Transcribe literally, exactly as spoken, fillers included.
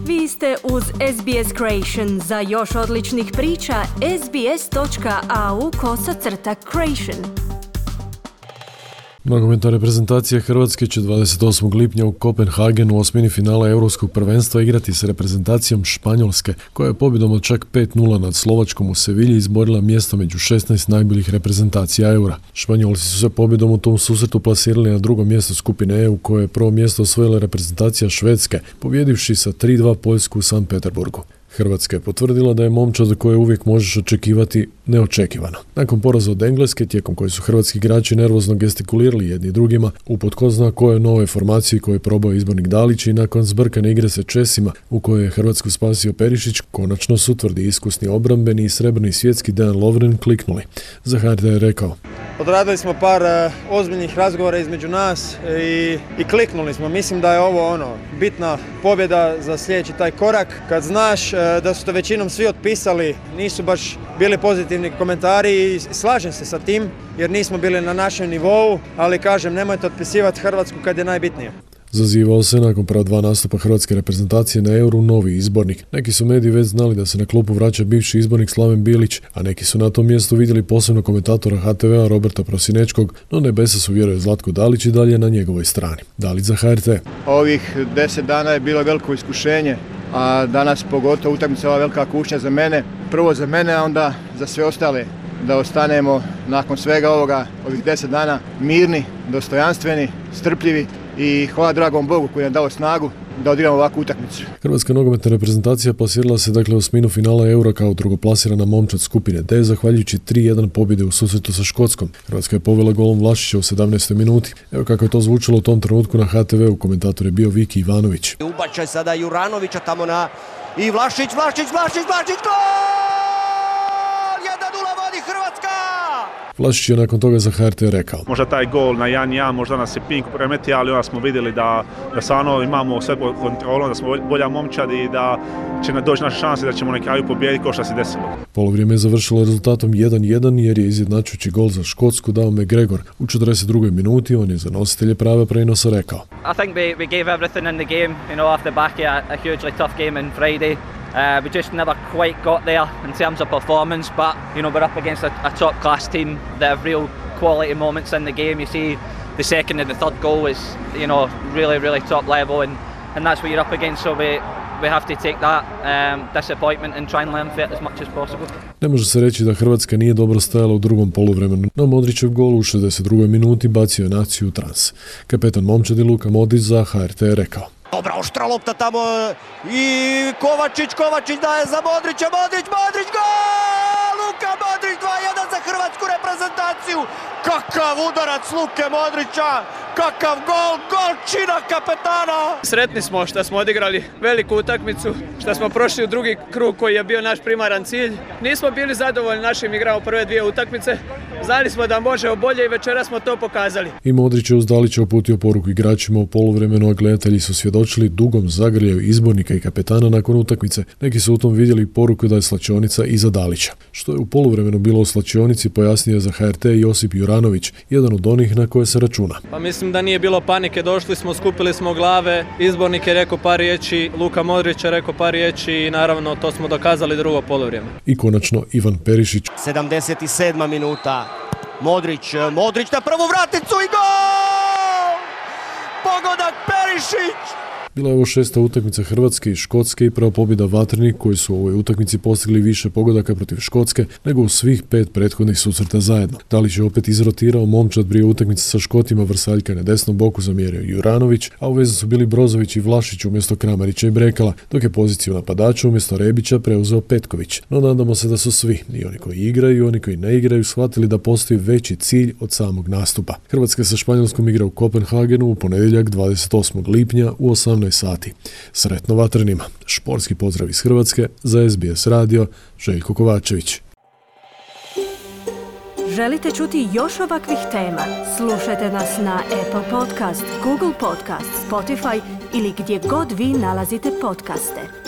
Vi ste uz S B S Creation. Za još odličnih priča, sbs.au kosacrta creation. Nogometna reprezentacija Hrvatske će dvadeset osmog lipnja u Kopenhagenu u osmini finala Europskog prvenstva igrati s reprezentacijom Španjolske, koja je pobjedom od čak pet nula nad Slovačkom u Sevilji izborila mjesto među šesnaest najboljih reprezentacija Eura. Španjolci su se pobjedom u tom susretu plasirali na drugo mjesto skupine E u kojoj je prvo mjesto osvojila reprezentacija Švedske, pobjedivši sa tri dva Poljsku u Sankt Peterburgu. Hrvatska je potvrdila da je momčad za koje uvijek možeš očekivati neočekivano. Nakon poraza od Engleske, tijekom koje su hrvatski igrači nervozno gestikulirali jedni drugima, uput ko zna koje nove formacije koje je probao izbornik Dalić i nakon zbrkane igre sa Česima, u kojoj je Hrvatsku spasio Perišić, konačno su tvrdi iskusni obrambeni i srebrni svjetski Dejan Lovren kliknuli. Za H R T je rekao: Odradili smo par uh, ozbiljnih razgovora između nas i, i kliknuli smo. Mislim da je ovo ono bitna pobjeda za sljedeći taj korak. Kad znaš uh, da su to većinom svi otpisali, nisu baš bili pozitivni komentari i slažem se sa tim jer nismo bili na našem nivou, ali kažem, nemojte otpisivati Hrvatsku kad je najbitnije. Zazivao se nakon prva dva nastupa hrvatske reprezentacije na Euru novi izbornik. Neki su mediji već znali da se na klupu vraća bivši izbornik Slaven Bilić, a neki su na tom mjestu vidjeli posebno komentatora H T V-a Roberta Prosinečkog, no nebesa su, vjeruje Zlatko Dalić, i dalje na njegovoj strani. Dalić za H R T. Ovih deset dana je bilo veliko iskušenje, a danas pogotovo utakmica ova velika kušnja za mene. Prvo za mene, a onda za sve ostale. Da ostanemo nakon svega ovoga, ovih deset dana, mirni, dostojanstveni, strpljivi i hvala dragom Bogu koji nam dao snagu da odigramo ovakvu utakmicu. Hrvatska nogometna reprezentacija plasirala se dakle u osminu finala Eura kao drugoplasirana momčad skupine D, zahvaljujući tri jedan pobjede u susretu sa Škotskom. Hrvatska je povela golom Vlašića u sedamnaestoj minuti. Evo kako je to zvučalo u tom trenutku na H T V-u, komentator je bio Viki Ivanović. Ubačaj sada Juranovića tamo na i Vlašić, Vlašić, Vlašić, Vlašić, gol! jedan nula vodi Hrvatska! Vlašić je nakon toga za H R T rekao: Možda taj gol na jedan jedan, možda nas je Pink premeti, ali onda smo vidjeli da, da stvarno imamo sve pod kontrolom, da smo bolja momčad i da će nam doći naše šanse da ćemo na kraju pobijediti kao što se desilo. Polovrijeme je završilo rezultatom jedan jedan jer je izjednačujući gol za Škotsku dao McGregor. U četrdeset drugoj minuti on je za nositelje prava prenosa rekao: I think we, we gave everything in the game, you know, off the back of a, a hugely tough game on Friday. Uh, we just never quite got there in terms of performance, but you know, we're up against a, a top class team that have real quality moments in the game. You see the second and the third goal is, you know, really really top level, and, and that's what you're up against, so we we have to take that um, disappointment and try and learn from it as much as possible. Ne može se reći da Hrvatska nije dobro stajala u drugom poluvremenu, no Modrićev gol u šezdeset drugoj minuti bacio je naciju u trans. Kapetan momčadi Luka Modrić za H R T je rekao: Dobra oštra lopta tamo i Kovačić, Kovačić daje za Modrića, Modrić, Modrić, gol! Luka Modrić dva jedan za hrvatsku reprezentaciju. Kakav udarac Luke Modrića, kakav gol, golčina kapetana! Sretni smo što smo odigrali veliku utakmicu, što smo prošli u drugi krug koji je bio naš primaran cilj. Nismo bili zadovoljni našim igrama u prve dvije utakmice. Znali smo da možemo bolje i večeras smo to pokazali. I Modrić je uz Dalića uputio poruku igračima u poluvremenu, a gledatelji su svjedočili dugom zagrljaju izbornika i kapetana nakon utakmice. Neki su u tom vidjeli poruku da je slačionica iza Dalića. Što je u poluvremenu bilo u slačionici pojasnio za H R T Josip Juranović, jedan od onih na koje se računa. Pa mislim da nije bilo panike, došli smo, skupili smo glave, izbornik je rekao par riječi, Luka Modrić je rekao par riječi i naravno to smo dokazali drugo poluvrijeme. I konačno Ivan Perišić. sedamdeset sedma minuta. Modrić, Modrić na prvu vraticu i gol! Pogodak Perišić! Bila je ovo šesta utakmica Hrvatske i Škotske i prva pobjeda Vatrenih koji su u ovoj utakmici postigli više pogodaka protiv Škotske nego u svih pet prethodnih susreta zajedno. Dalić je opet izrotirao momčad prije utakmice sa Škotima, Vrsaljka na desnom boku zamjerio Juranović, a u vezi su bili Brozović i Vlašić umjesto Kramarića i Brekala, dok je poziciju napadača umjesto Rebića preuzeo Petković. No nadamo se da su svi, i oni koji igraju i oni koji ne igraju, shvatili da postoji veći cilj od samog nastupa. Hrvatska sa Španjolskom igra u Kopenhagenu u ponedjeljak dvadeset osmog lipnja u osamnaest sati. Sretno Vatrenima. Športski pozdrav iz Hrvatske za S B S radio, Željko Kovačević. Želite čuti još ovakvih tema? Slušajte nas na Apple Podcast, Google Podcast, Spotify ili gdje god vi nalazite podcaste.